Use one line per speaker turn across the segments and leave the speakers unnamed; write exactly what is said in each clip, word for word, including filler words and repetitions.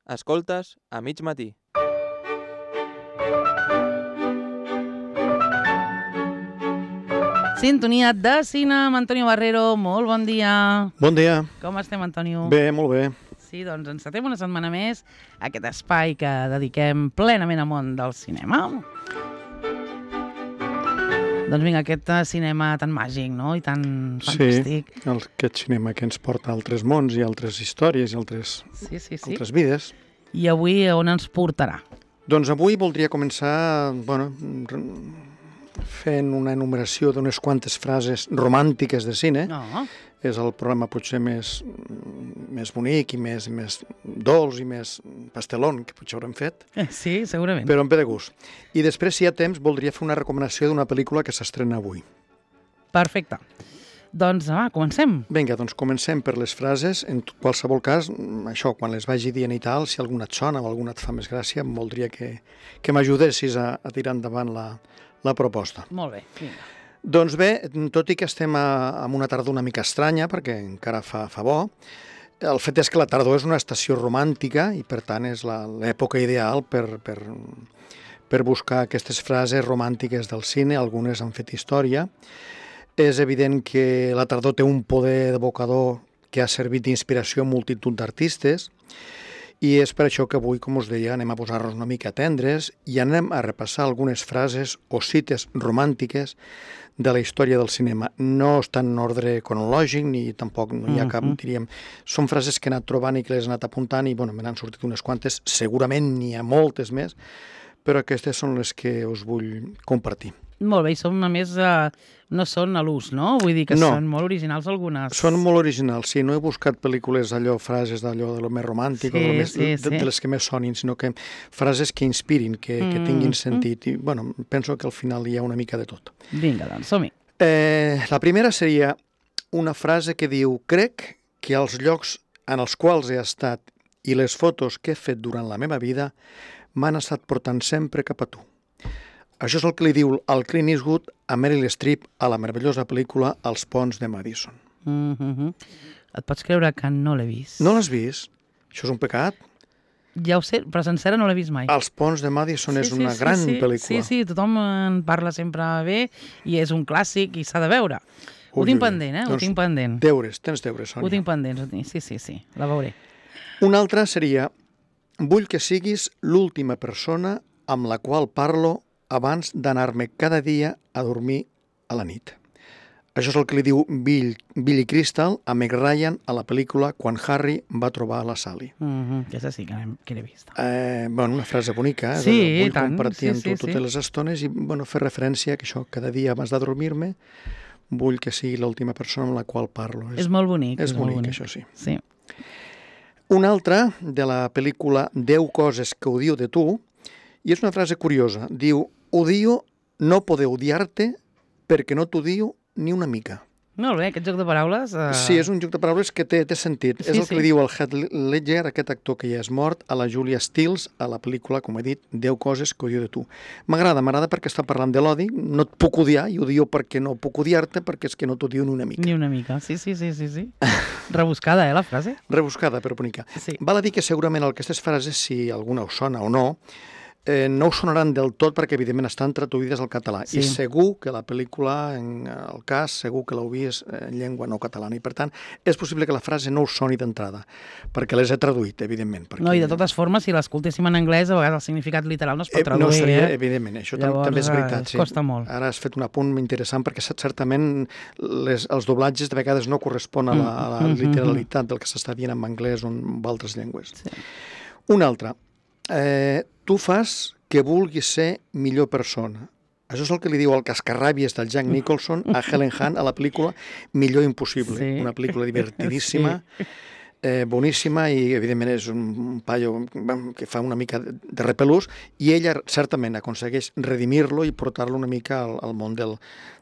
Escoltes a mig matí.
Sintonia de cine amb Antonio Barrero. Molt bon dia.
Bon dia.
Com estem, Antonio?
Bé, molt bé.
Sí, doncs encetem una setmana més aquest espai que dediquem plenament al món del cinema. Doncs vinga, aquest cinema tan màgic, no? I tan fantàstic.
Sí, el, aquest cinema que ens porta a altres mons i altres històries i altres,
sí, sí, sí.
altres vides.
I avui on ens portarà?
Doncs avui voldria començar, bueno, fent una enumeració d'unes quantes frases romàntiques de cine.
No.
És el programa potser més, més bonic i més, més dolç i més pastelón que potser haurem fet.
Sí, segurament.
Però em ve de gust. I després, si hi ha temps, voldria fer una recomanació d'una pel·lícula que s'estrena avui.
Perfecte. Doncs va, comencem.
Vinga, doncs comencem per les frases. En qualsevol cas, això, quan les vagi dient i tal, si alguna et sona o alguna et fa més gràcia, em voldria que, que m'ajudessis a, a tirar endavant la, la proposta.
Molt bé, vinga.
Doncs bé, tot i que estem a, en una tardor una mica estranya, perquè encara fa, fa bo, el fet és que la tardor és una estació romàntica i, per tant, és l'època ideal per, per, per buscar aquestes frases romàntiques del cine. Algunes han fet història. És evident que la tardor té un poder evocador que ha servit d'inspiració a multitud d'artistes i és per això que avui, com us deia, anem a posar-nos una mica tendres i anem a repassar algunes frases o cites romàntiques de la història del cinema. No estan en ordre cronològic ni tampoc no hi ha cap, diríem... Són frases que he anat trobant i que les he anat apuntant i, bueno, me n'han sortit unes quantes. Segurament n'hi ha moltes més, però aquestes són les que us vull compartir.
Molt bé, i són, a més, eh, no són a l'ús, no? Vull dir que
no.
Són molt originals algunes.
Són molt originals, sí. No he buscat pel·lícules allò, frases d'allò de lo més romàntic,
sí,
o de, més,
sí,
de,
sí.
de les que més sonin, sinó que frases que inspirin, que, mm. que tinguin sentit. I, bueno, penso que al final hi ha una mica de tot.
Vinga, doncs, som-hi.
Eh, la primera seria una frase que diu: crec que els llocs en els quals he estat i les fotos que he fet durant la meva vida m'han estat portant sempre cap a tu. Això és el que li diu el Clint Eastwood a Meryl Streep a la meravellosa pel·lícula Els ponts de Madison.
Mm-hmm. Et pots creure que no l'he vist?
No l'has vist? Això és un pecat?
Ja ho sé, però sencera no l'he vist mai.
Els ponts de Madison
sí,
és
sí,
una
sí,
gran
sí,
pel·lícula.
Sí, sí, tothom en parla sempre bé i és un clàssic i s'ha de veure. Ho
Ui,
tinc
ui.
pendent, eh?
Doncs
ho tinc pendent.
Deures, tens deures, Sònia.
Ho tinc pendent, ho tinc. Sí, sí, sí, la veuré.
Una altra seria: vull que siguis l'última persona amb la qual parlo abans d'anar-me cada dia a dormir a la nit. Això és el que li diu Bill, Billy Crystal a Meg Ryan a la pel·lícula Quan Harry va trobar la Sally.
Mm-hmm. Aquesta sí que l'he vist.
Eh, bueno, una frase bonica, eh?
Sí,
vull
tant.
compartir amb
sí,
tu
sí,
totes
sí.
les estones i bueno, fer referència que això, cada dia abans de dormir-me vull que sigui l'última persona amb la qual parlo.
És, és molt bonic.
És,
és
bonic,
molt bonic,
això sí.
Sí.
Una altra de la pel·lícula deu coses que odio de tu, i és una frase curiosa. Diu: odio no poder odiar-te perquè no t'odio ni una mica.
Molt bé, aquest joc de paraules... Uh...
Sí, és un joc de paraules que té, té sentit.
Sí,
és el
sí.
que li diu el Heath Ledger, aquest actor que ja és mort, a la Julia Stiles, a la pel·lícula, com he dit, deu coses que odio de tu. M'agrada, m'agrada perquè està parlant de l'odi, no et puc odiar, i odio perquè no puc odiar-te, perquè és que no t'odio ni una mica.
Ni una mica, sí, sí, sí, sí. sí. Rebuscada, eh, la frase?
Rebuscada, però bonica.
Sí.
Val a dir que segurament aquestes frases, si alguna us sona o no, Eh, no us sonaran del tot perquè, evidentment, estan traduïdes al català.
Sí.
I segur que la pel·lícula, en el cas, segur que l'heu vist en llengua no catalana. I, per tant, és possible que la frase no us soni d'entrada, perquè les he traduït, evidentment. Perquè...
No, i de totes formes, si l'escoltéssim en anglès, a vegades el significat literal no es pot
Eh,
traduir.
no seria,
eh?
evidentment, això
Llavors,
també és veritat.
eh, costa molt.
Ara has fet un apunt interessant perquè certament les, els doblatges de vegades no corresponen a la, a la literalitat del que s'està dient en anglès o en altres llengües.
Sí.
Una altra. Eh, tu fas que vulgui ser millor persona. Això és el que li diu el cascarràbies del Jack Nicholson a Helen Hunt a la pel·lícula Millor Impossible.
Sí.
Una pel·lícula divertidíssima, sí. eh, boníssima i, evidentment, és un paio que fa una mica de repelús i ella, certament, aconsegueix redimir-lo i portar-lo una mica al, al món del,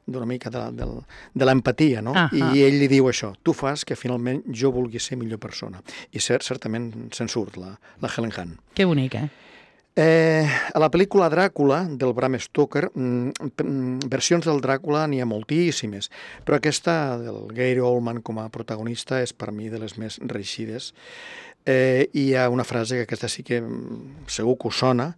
d'una mica de, de, de l'empatia, no?
Ah, ah.
I ell li diu això: tu fas que finalment jo vulgui ser millor persona. I cert, certament se'n surt la, la Helen Hunt.
Que bonic, eh?
Eh, a la pel·lícula Dràcula, del Bram Stoker, mm, versions del Dràcula n'hi ha moltíssimes, però aquesta del Gary Oldman com a protagonista és per mi de les més reeixides. Eh, I hi ha una frase que aquesta sí que mm, segur que us sona,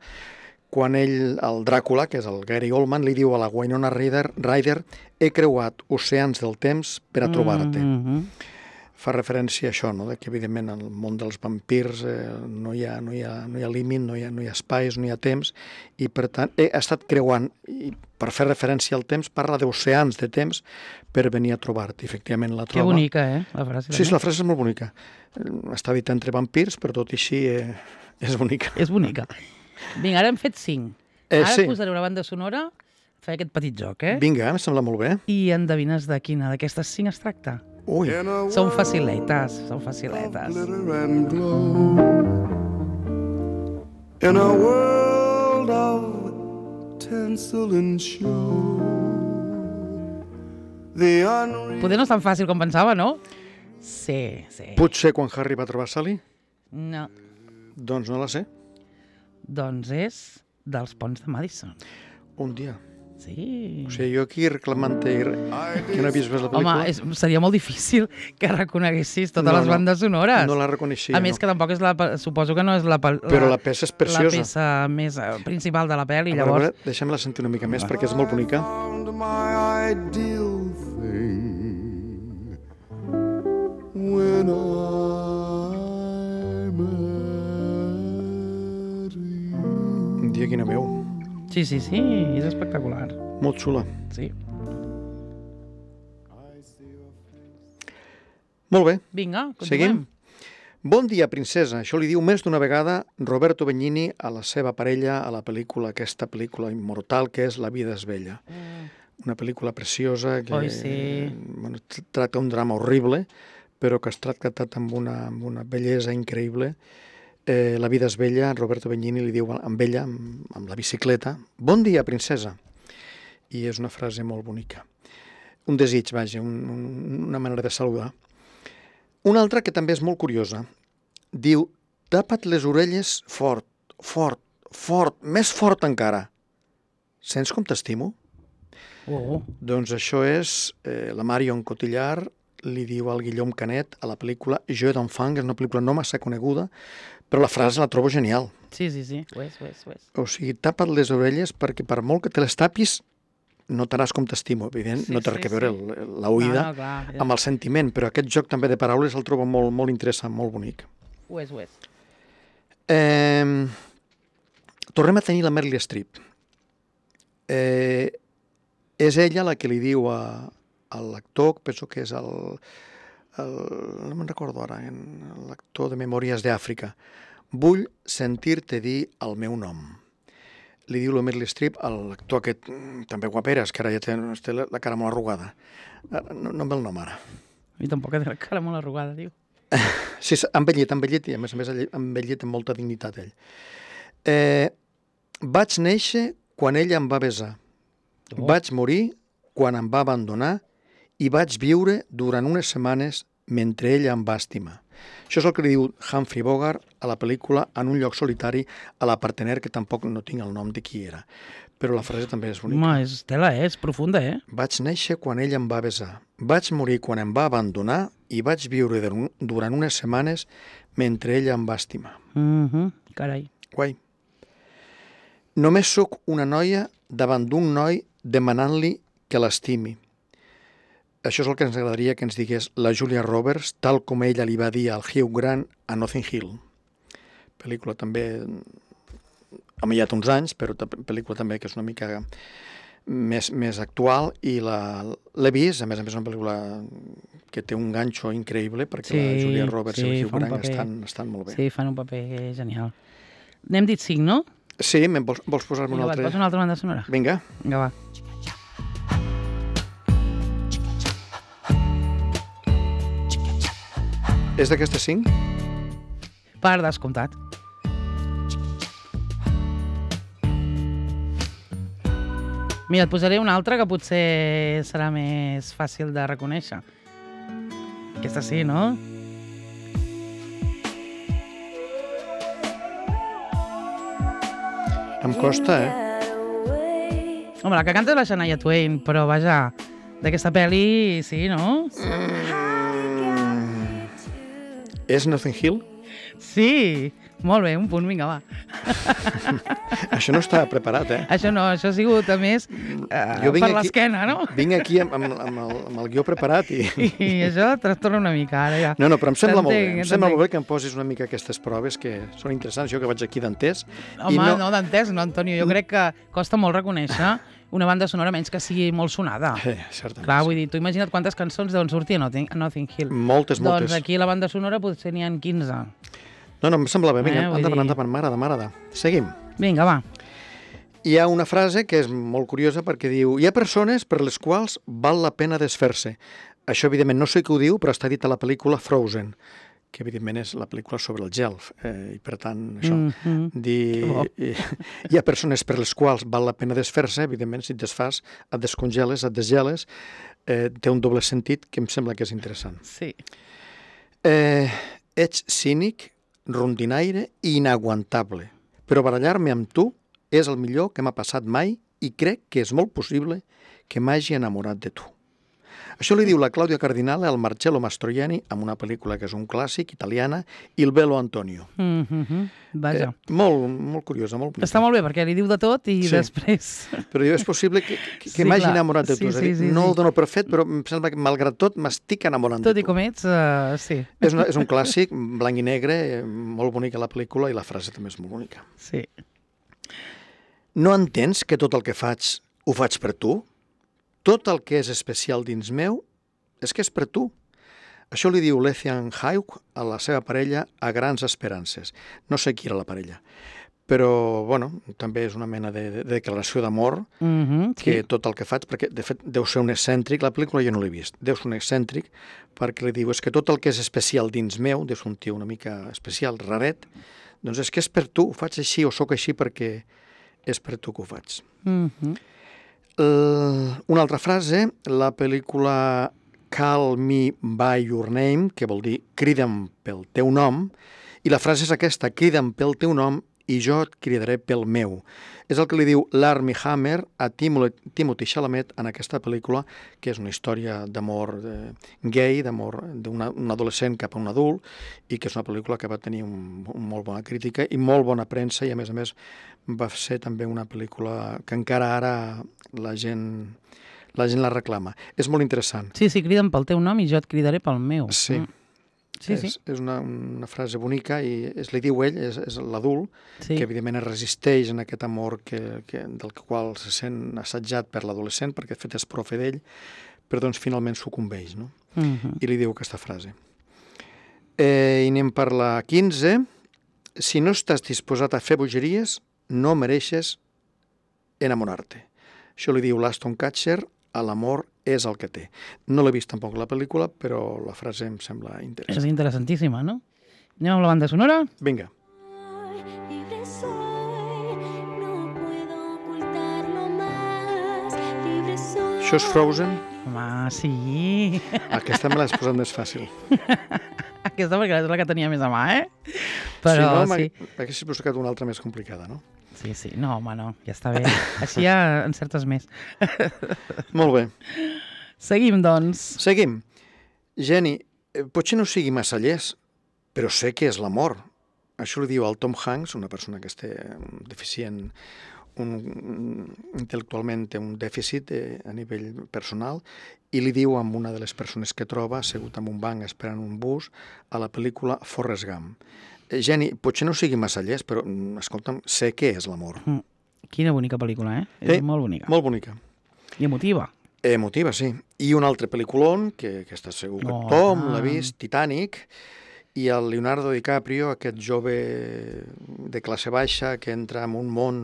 quan ell, el Dràcula, que és el Gary Oldman, li diu a la Winona Ryder, Ryder he creuat oceans del temps per a trobar-te.
Mm -hmm.
Fa referència a això, no? De que evidentment en el món dels vampirs eh, no, hi ha, no, hi ha, no hi ha límit, no hi ha, no hi ha espais, no hi ha temps, i per tant he estat creuant, i per fer referència al temps, parla d'oceans de temps per venir a trobar-te. Efectivament la troba.
Que bonica, eh, la frase.
Sí, sí, la frase és molt bonica. Està dita entre vampirs, però tot i així eh, és bonica.
És bonica. Vinga, ara hem fet cinc.
Eh,
ara
sí.
posaré una banda sonora, fer aquest petit joc, eh?
Vinga, em sembla molt bé.
I endevines de quina d'aquestes cinc es tracta?
Ui,
Són faciletes, són faciletes.
Glitter and glow. In a world of tinsel and show, the unreal.
Poder no és tan fàcil com pensava, no? Sí, sí.
potser quan Harry va trobar Sally?
No,
Doncs no la sé.
doncs és dels ponts de Madison.
Un dia.
Sí.
O sigui, jo aquí reclamant-te que no he vist més la pel·lícula.
Home, és, seria molt difícil que reconeguessis totes
No,
les
no,
bandes sonores.
No la reconeixia,
A més,
no.
que tampoc és la... pe- Suposo que no és la... pe-
Però la peça és preciosa.
La peça més eh, principal de la pel·li,
A veure, a
llavors...
veure, deixem-la sentir una mica més, perquè és molt bonica.
Found my ideal thing when I met you.
Un dia quina veu.
Sí, sí, sí, és espectacular.
Molt xula.
Sí.
Molt bé.
Vinga, continuem.
Seguim? Bon dia, princesa. Això li diu més d'una vegada Roberto Benigni a la seva parella a la pel·lícula, aquesta pel·lícula immortal que és La vida és bella.
Mm.
Una pel·lícula preciosa que
Oi, sí.
bueno, tracta un drama horrible, però que es tracta amb una, amb una bellesa increïble. Eh, la vida és bella, Roberto Benigni li diu amb ella, amb, amb la bicicleta, bon dia, princesa. I és una frase molt bonica. Un desig, vaja, un, un, una manera de saludar. Una altra que també és molt curiosa. Diu, tapa't les orelles fort, fort, fort, més fort encara. Sents com t'estimo?
Oh,
Doncs això és eh, la Marion Cotillard li diu al Guillaume Canet a la pel·lícula Jeu d'enfant, que és una pel·lícula no massa coneguda, però la frase la trobo genial.
sí, sí, sí. Ho és, ho és, ho és.
O sigui, tapa't les orelles perquè per molt que te les tapis notaràs com t'estimo. Evident,
Sí,
no té
sí,
res a veure
sí.
el- la oïda
No, no, clar, ja.
amb el sentiment, però aquest joc també de paraules el trobo molt, molt interessant, molt bonic.
Ho és, ho és.
Eh, tornem a tenir la Meryl Streep. Eh, és ella la que li diu a, a l'actor, penso que és el, el no me'n recordo ara, en- l'actor de Memòries d'Àfrica, vull sentir-te dir el meu nom. Li diu la Meryl Streep a l'actor aquest, mm, també guaperes, que ara ja té, té la, la cara molt arrugada. Ara, No, no em ve el nom ara.
A mi tampoc té la cara molt arrugada, diu.
Sí, s'ha envellit, envellit, i a més a més ha envellit amb molta dignitat ell. Eh, vaig néixer quan ella em va besar.
Oh.
Vaig morir quan em va abandonar i vaig viure durant unes setmanes mentre ella em va estimar. Això és el que li diu Humphrey Bogart a la pel·lícula En un lloc solitari a la partener, que tampoc no tinc el nom de qui era. Però la frase també és bonica.
Home, és tela, eh? És profunda, eh?
Vaig néixer quan ell em va besar. Vaig morir quan em va abandonar i vaig viure dur- durant unes setmanes mentre ella em va estimar.
Mm -hmm. Carai.
Guai. Només sóc una noia davant d'un noi demanant-li que l'estimi. Això és el que ens agradaria que ens digués la Julia Roberts, tal com ella li va dir al Hugh Grant a Notting Hill. Pel·lícula també ha millat uns anys, però ta- pel·lícula també que és una mica més, més actual, i la- l'he vist, a més a més és una pel·lícula que té un ganxo increïble, perquè
Sí,
la Julia Roberts
sí,
i el Hugh
fa un
Grant
paper.
estan, estan molt bé.
Sí, fan un paper genial. N'hem dit cinc, no?
Sí, me'n vols, vols posar-me
Vinga,
un
va, et
altre?
poso una altra banda sonora.
Vinga.
Vinga, va.
És d'aquestes cinc?
Per descomptat. Mira, et posaré una altra que potser serà més fàcil de reconèixer. Aquesta sí, no?
Em costa, eh?
Home, la que canta és la Shania Twain, però vaja, d'aquesta pel·li, sí, no?
És Notting Hill?
Sí, molt bé, un punt, vinga, va.
Això no estava preparat, eh?
Això no, això ha sigut, a més, eh,
Jo vinc
per
aquí-
l'esquena, no?
Vinc aquí amb, amb, amb, el, amb el guió preparat i...
I això trastorna una mica, ara ja.
No, no, però em sembla molt bé.
T'entenc,
Em sembla
t'entenc.
molt bé que em posis una mica aquestes proves que són interessants. Jo que vaig aquí d'entès.
Home, no, no d'entès, no, Antonio. Jo crec que costa molt reconèixer una banda sonora menys que sigui molt sonada.
Eh, certament.
Clar, vull dir, tu imagina't quantes cançons deuen sortir a Notting, a Notting Hill.
Moltes, moltes.
Doncs aquí a la banda sonora potser n'hi ha quinze.
No, no, em sembla bé. Vinga,
Eh, vull
endavant,
dir-
endavant, m'agrada, m'agrada. Seguim.
Vinga, va.
Hi ha una frase que és molt curiosa perquè diu hi ha persones per les quals val la pena desfer-se. Això, evidentment, no sé qui ho diu, però està dit a la pel·lícula Frozen, que, evidentment, és la pel·lícula sobre el gel. Eh, I, per tant, això,
Mhm.
dir,
Que bo.
hi, hi ha persones per les quals val la pena desfer-se, evidentment, si et desfas, et descongeles, et desgeles, eh, té un doble sentit que em sembla que és interessant.
Sí.
Eh, ets cínic, rondinaire i inaguantable, però barallar-me amb tu és el millor que m'ha passat mai i crec que és molt possible que m'hagi enamorat de tu. Això li diu la Clàudia Cardinale al Marcello Mastroianni amb una pel·lícula que és un clàssic, italiana, Il bello Antonio.
Mm -hmm. Vaja.
Eh, molt, molt curiosa, molt bonica.
Està molt bé, perquè li diu de tot i
Sí.
després...
Però jo és possible que, que, que
Sí,
m'hagi
clar.
enamorat de tu.
Sí,
és a
sí,
dir,
sí,
no
sí.
ho dono per fet, però em sembla que, malgrat tot, m'estic enamorant
Tot
de
i
tu.
com ets, uh, sí.
És, una, és un clàssic, blanc i negre, eh, molt bonica la pel·lícula i la frase també és molt bonica.
Sí.
No entens que tot el que faig ho faig per tu? Tot el que és especial dins meu és que és per tu. Això li diu l'Ethan Hawke a la seva parella a Grans Esperances. No sé qui era la parella, però, bueno, també és una mena de, de declaració d'amor,
Mm -hmm.
que
Sí.
tot el que faig, perquè, de fet, deu ser un excèntric, la pel·lícula jo no l'he vist, deu ser un excèntric, perquè li diu, és que tot el que és especial dins meu, deu ser un tio una mica especial, raret, doncs és que és per tu, ho faig així o sóc així perquè és per tu que ho faig.
Mm -hmm.
Uh, una altra frase, la pel·lícula Call Me By Your Name, que vol dir crida'm pel teu nom, i la frase és aquesta, crida'm pel teu nom i jo et cridaré pel meu. És el que li diu l'Armie Hammer a Timo- Timothy Chalamet en aquesta pel·lícula, que és una història d'amor eh, gay, d'amor d'un adolescent cap a un adult, i que és una pel·lícula que va tenir un, un molt bona crítica i molt bona premsa, i a més a més va ser també una pel·lícula que encara ara la gent la gent la reclama. És molt interessant.
Sí, sí, crida'm pel teu nom i jo et cridaré pel meu.
Sí.
Mm. Sí,
és,
sí.
és una, una frase bonica i es li diu ell, és, és l'adult,
sí.
que evidentment es resisteix en aquest amor que, que, del qual se sent assetjat per l'adolescent, perquè de fet és profe d'ell, però doncs finalment sucumbeix, no?
Mm -hmm.
I li diu aquesta frase. Eh, I anem per la quinze. Si no estàs disposat a fer bogeries, no mereixes enamorar-te. Això li diu l'Aston Kutcher a l'amor és el que té. No l'he vist tampoc la pel·lícula, però la frase em sembla interessant.
És interessantíssima, no? Anem amb la banda sonora?
Vinga.
Libre soy, no puedo ocultarlo más. Libre soy.
Això és Frozen?
Home, sí.
Aquesta me l'has posat més fàcil.
Aquesta perquè és la que tenia més a mà, eh? Però
si no,
sí.
m'haguessis buscat una altra més complicada, no?
Sí, sí. No, home, no. Ja està bé. Així ja encertes més.
Molt bé.
Seguim, doncs.
Seguim. Jenny, eh, potser no sigui massa llest, però sé que és l'amor. Això li diu al Tom Hanks, una persona que té un deficient, un, un, intel·lectualment té un dèficit eh, a nivell personal, i li diu a una de les persones que troba, assegut en un banc esperant un bus, a la pel·lícula Forrest Gump. Eh, Jenny, potser no sigui massa llest, però, mm, escolta'm, sé què és l'amor.
Mm. Quina bonica pel·lícula, eh?
Sí,
És molt bonica.
Molt bonica.
I emotiva.
Emotiva, sí. I un altre pel·liculón, que, que està segur que
Oh,
tothom l'ha
ah.
vist, Titanic, i el Leonardo DiCaprio, aquest jove de classe baixa que entra en un món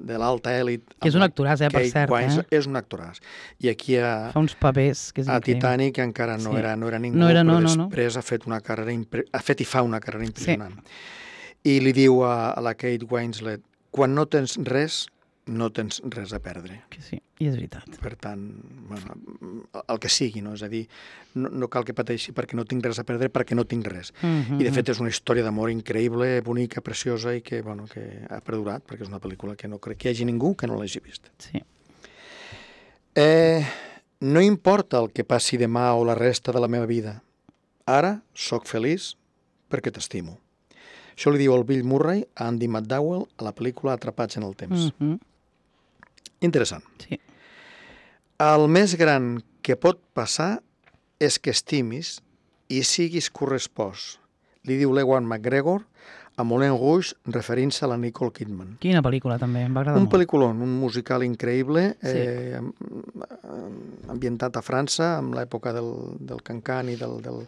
de l'alta èlit.
Que és un actoràs, eh, per
Kate
cert,
Winslet,
eh?
És un actoràs. I aquí a,
Fa uns papers que és
a
increïble.
Titanic encara no,
Sí.
era, no era ningú,
No era, no,
però
no, no.
després ha fet una carrera impre... ha fet i fa una carrera impressionant. I li diu a, a la Kate Winslet, quan no tens res, no tens res a perdre.
Que sí, i és veritat.
Per tant, bueno, el que sigui, no? És a dir, no, no cal que pateixi perquè no tinc res a perdre, perquè no tinc res.
Mm -hmm.
I de fet és una història d'amor increïble, bonica, preciosa i que, bueno, que ha perdurat, perquè és una pel·lícula que no crec que hi hagi ningú que no l'hagi vist.
Sí.
Eh, no importa el que passi demà o la resta de la meva vida. Ara sóc feliç perquè t'estimo. Això li diu el Bill Murray a Andy McDowell a la pel·lícula Atrapats en el temps.
Mm -hmm.
Interessant.
Sí.
El més gran que pot passar és que estimis i siguis correspost, li diu l'Ewan McGregor a Moulin Rouge, referint-se a la Nicole Kidman.
Quina pel·lícula, també, em va agradar
Un
molt.
pel·lículon, un musical increïble,
Sí.
eh, ambientat a França, amb l'època del, del Cancan i del... del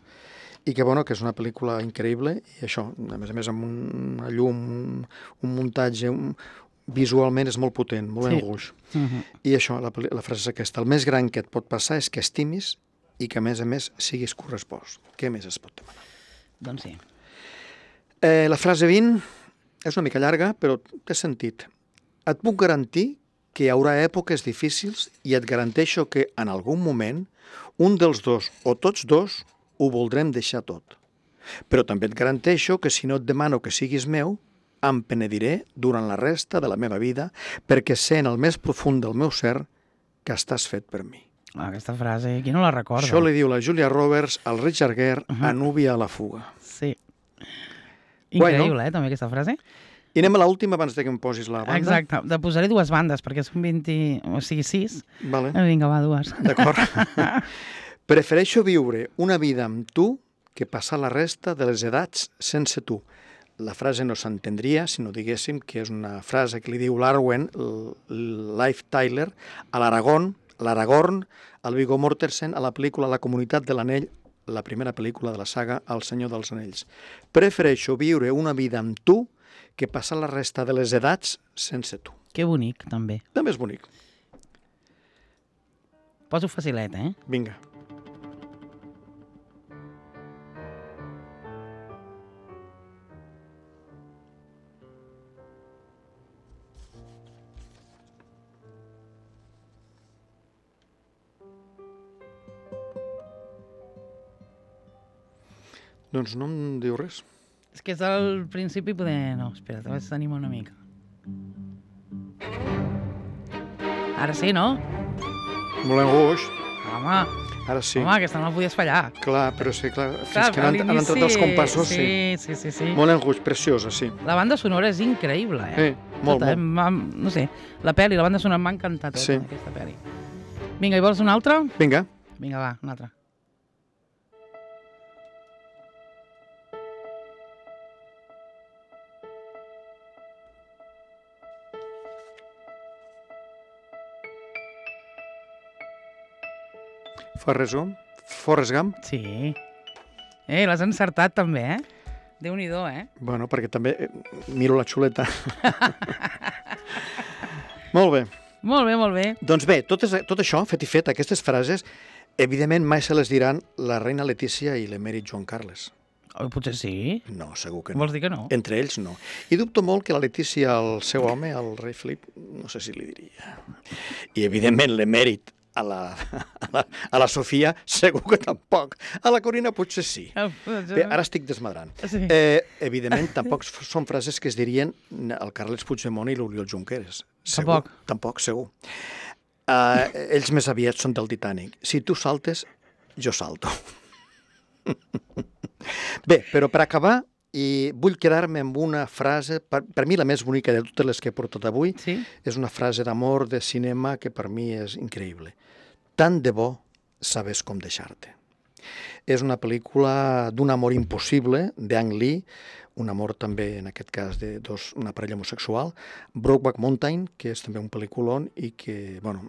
i que, bueno, que és una pel·lícula increïble, i això, a més a més, amb una llum, un, un muntatge, un, visualment és molt potent, Moulin
Sí.
Rouge.
Uh -huh.
I això, la, la frase és aquesta, el més gran que et pot passar és que estimis i que, a més a més, siguis correspost. Què més es pot demanar?
Doncs sí.
Eh, la frase vint és una mica llarga, però té sentit. Et puc garantir que hi haurà èpoques difícils i et garanteixo que, en algun moment, un dels dos o tots dos ho voldrem deixar tot. Però també et garanteixo que si no et demano que siguis meu, em penediré durant la resta de la meva vida perquè sé en el més profund del meu ser que estàs fet per mi.
Aquesta frase, qui no la recorda?
Això li diu la Julia Roberts al Richard Gere
Uh-huh.
a Núvia a la fuga.
Sí.
Guai,
Increïble,
no?
eh, també, aquesta frase.
I anem a l'última abans de que em posis la banda.
Exacte. Te posaré dues bandes, perquè són vint... O sigui, sis.
Vale.
Eh, Vinga, va, dues.
D'acord. Prefereixo viure una vida amb tu que passar la resta de les edats sense tu. La frase no s'entendria si no diguéssim que és una frase que li diu l'Arwen, Life Tyler, a l'Aragorn, l'Aragorn, al Viggo Mortensen, a la pel·lícula La comunitat de l'anell, la primera pel·lícula de la saga El senyor dels anells. Prefereixo viure una vida amb tu que passar la resta de les edats sense tu.
Que bonic, també.
També és bonic.
Poso facilet, eh?
Vinga. Doncs no em diu res.
És que és al principi poder... No, espera, te vaig animar una mica. Ara sí, no?
Moulin Rouge.
Home,
Ara sí.
home, aquesta no la podies fallar.
Clar, però sí, clar, fins
Clar,
que no han,
a
han entrat els
l'inici-
compassos, sí.
Sí, sí, sí, sí.
Moulin Rouge, preciosa, sí.
La banda sonora és increïble, eh?
Eh, molt,
Tota, eh?
molt.
M'ha- No sé, la pel·li, la banda sonora m'ha encantat tota,
Sí.
aquesta pel·li. Vinga, i vols una altra?
Vinga.
Vinga, va, una altra.
Forrest Gump. Forrest Gump.
Sí. Eh, l'has encertat també, eh? Déu-n'hi-do, eh?
Bueno, perquè també eh, miro la xuleta. Molt bé.
Molt bé, molt bé.
Doncs bé, tot, és, tot això, fet i fet, aquestes frases, evidentment mai se les diran la reina Letícia i l'emèrit Joan Carles.
Oh, potser sí.
No, segur que no.
Vols dir que no?
Entre ells, no. I dubto molt que la Letícia, el seu home, el rei Felip, no sé si li diria. I, evidentment, l'emèrit a la, a, la, a la Sofia, segur que tampoc. A la Corina potser sí. Bé, ara estic desmadrant.
Sí.
Eh, evidentment, tampoc són frases que es dirien el Carles Puigdemont i l'Oriol Junqueras. Segur,
Tampoc.
Tampoc, segur. Uh, ells més aviat són del Titanic. Si tu saltes, jo salto. Bé, però per acabar, i vull quedar-me amb una frase, per, per mi la més bonica de totes les que he portat avui,
Sí?
és una frase d'amor de cinema que per mi és increïble. Tant de bo sabes com deixar-te. És una pel·lícula d'un amor impossible, d'Ang Lee, un amor també, en aquest cas, de dos, una parella homosexual, Brokeback Mountain, que és també un pel·lículon i que, bueno,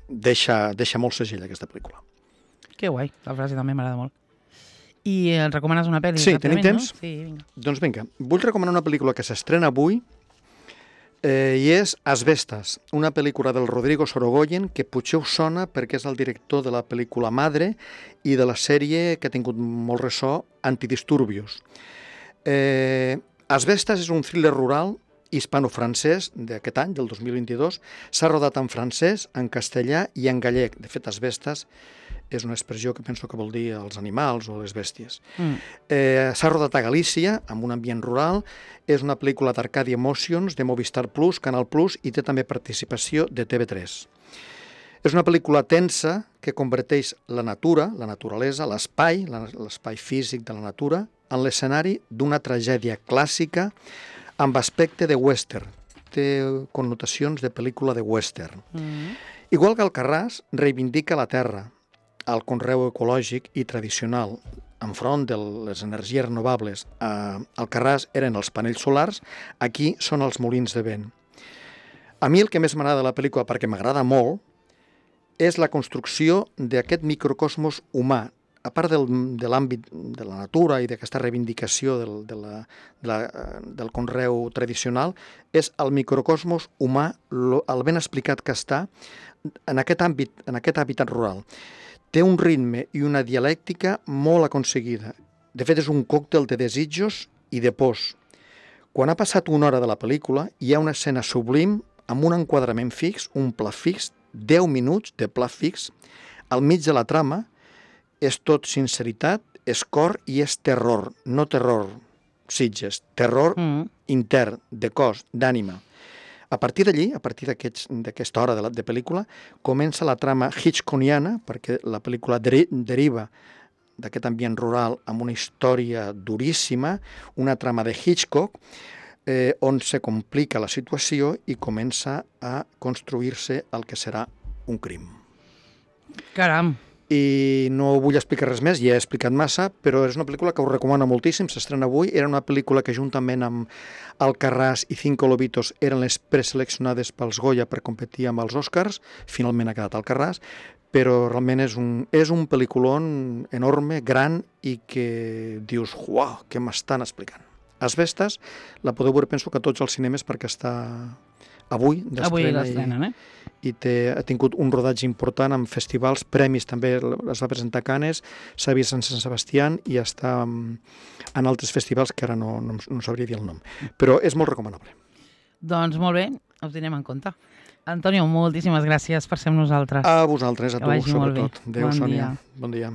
deixa, deixa molt segell aquesta pel·lícula.
Que guai, la frase també m'agrada molt. I ens recomanes una pel·li?
Sí, tenim
ràpidament,
temps?
No? Sí, vinga.
Doncs vinga, vull recomanar una pel·lícula que s'estrena avui eh, i és Asbestas, una pel·lícula del Rodrigo Sorogoyen que potser us sona perquè és el director de la pel·lícula Madre i de la sèrie que ha tingut molt ressò, Antidisturbios. Eh, Asbestas és un thriller rural hispano-francès d'aquest any, del dos mil vint-i-dos. S'ha rodat en francès, en castellà i en gallec. De fet, asbestas és una expressió que penso que vol dir els animals o les bèsties.
Mm.
Eh, S'ha rodat a Galícia, amb un ambient rural. És una pel·lícula d'Arcadia Emotions, de Movistar Plus, Canal Plus, i té també participació de T V tres. És una pel·lícula tensa que converteix la natura, la naturalesa, l'espai, la- l'espai físic de la natura, en l'escenari d'una tragèdia clàssica amb aspecte de western. Té connotacions de pel·lícula de western.
Mm.
Igual que Alcarràs, reivindica la terra, el conreu ecològic i tradicional. Enfront de les energies renovables, a Alcarràs eren els panells solars, aquí són els molins de vent. A mi el que més m'agrada de la pel·lícula, perquè m'agrada molt, és la construcció d'aquest microcosmos humà. A part del, de l'àmbit de la natura i d'aquesta reivindicació del, de la, de la, del conreu tradicional, és el microcosmos humà, lo, el ben explicat que està en aquest àmbit, en aquest hàbitat rural. Té un ritme i una dialèctica molt aconseguida. De fet, és un còctel de desitjos i de pors. Quan ha passat una hora de la pel·lícula, hi ha una escena sublim amb un enquadrament fix, un pla fix, deu minuts de pla fix, al mig de la trama. És tot sinceritat, és cor i és terror, no terror Sitges, terror
Mm.
intern, de cos, d'ànima. A partir d'allí, a partir d'aquests- d'aquesta hora de, la, de pel·lícula, comença la trama hitchcockiana, perquè la pel·lícula deri deriva d'aquest ambient rural amb una història duríssima, una trama de Hitchcock, eh, on se complica la situació i comença a construir-se el que serà un crim.
Caram.
I no vull explicar res més, ja he explicat massa, però és una pel·lícula que us recomano moltíssim, s'estrena avui. Era una pel·lícula que juntament amb Alcarràs i Cinco Lobitos eren les preseleccionades pels Goya per competir amb els Oscars, finalment ha quedat Alcarràs, però realment és un, és un pel·lículon enorme, gran, i que dius, uau, què m'estan explicant. Asbestes la podeu veure, penso que a tots els cinemes, perquè està avui d'estrena.
Avui
i-
l'estrenen, eh?
i té, ha tingut un rodatge important amb festivals, premis també, es va presentar a Canes, s'ha vist en Sant Sebastián i està mm, en altres festivals que ara no, no, no sabria dir el nom. Però és molt recomanable.
Doncs molt bé, ho tindrem en compte. Antonio, moltíssimes gràcies per ser amb nosaltres.
A vosaltres, a
Que
tu,
vagi molt bé.
sobretot. Adéu,
Bon
Sònia.
dia.
Bon dia.